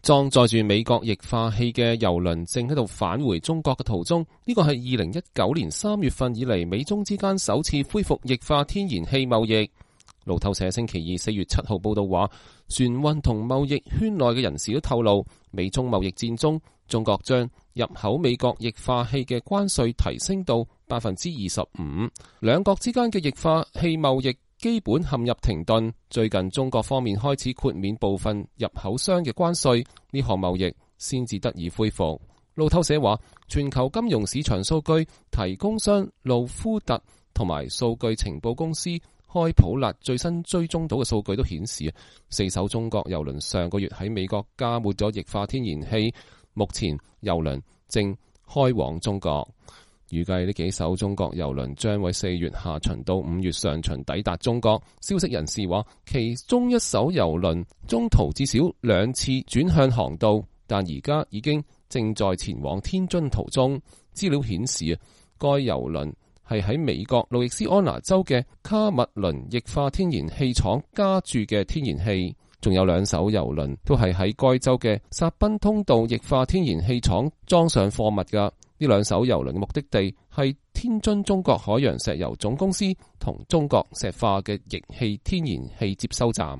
裝載住美國液化氣嘅郵輪正喺度返回中國嘅途中，呢個係2019年3月份以嚟美中之間首次恢復液化天然氣貿易。路透社星期二4月7號報道話，船運同貿易圈內嘅人士都透露，美中貿易戰中，中國將入口美國液化氣嘅關稅提升到25%，兩國之間嘅液化氣貿易基本陷入停頓，最近中國方面開始豁免部分入口商嘅關稅，呢項貿易先至得以恢復。路透社話，全球金融市場數據提供商路夫特同埋數據情報公司開普勒最新追蹤到嘅數據都顯示，4艘中國郵輪上個月喺美國加滿咗液化天然氣，目前郵輪正開往中國。預計呢幾艘中國郵輪將喺4月下旬到5月上旬抵達中國。消息人士話，其中一艘郵輪中途至少2次轉向航道，但而家已經正在前往天津途中。資料顯示，該郵輪係喺美國路易斯安那州嘅卡密倫液化天然氣廠加注嘅天然氣，仲有2艘郵輪都係喺該州嘅薩賓通道液化天然氣廠裝上貨物㗎。呢2艘郵輪嘅目的地係天津中國海洋石油總公司同中國石化嘅液氣天然氣接收站。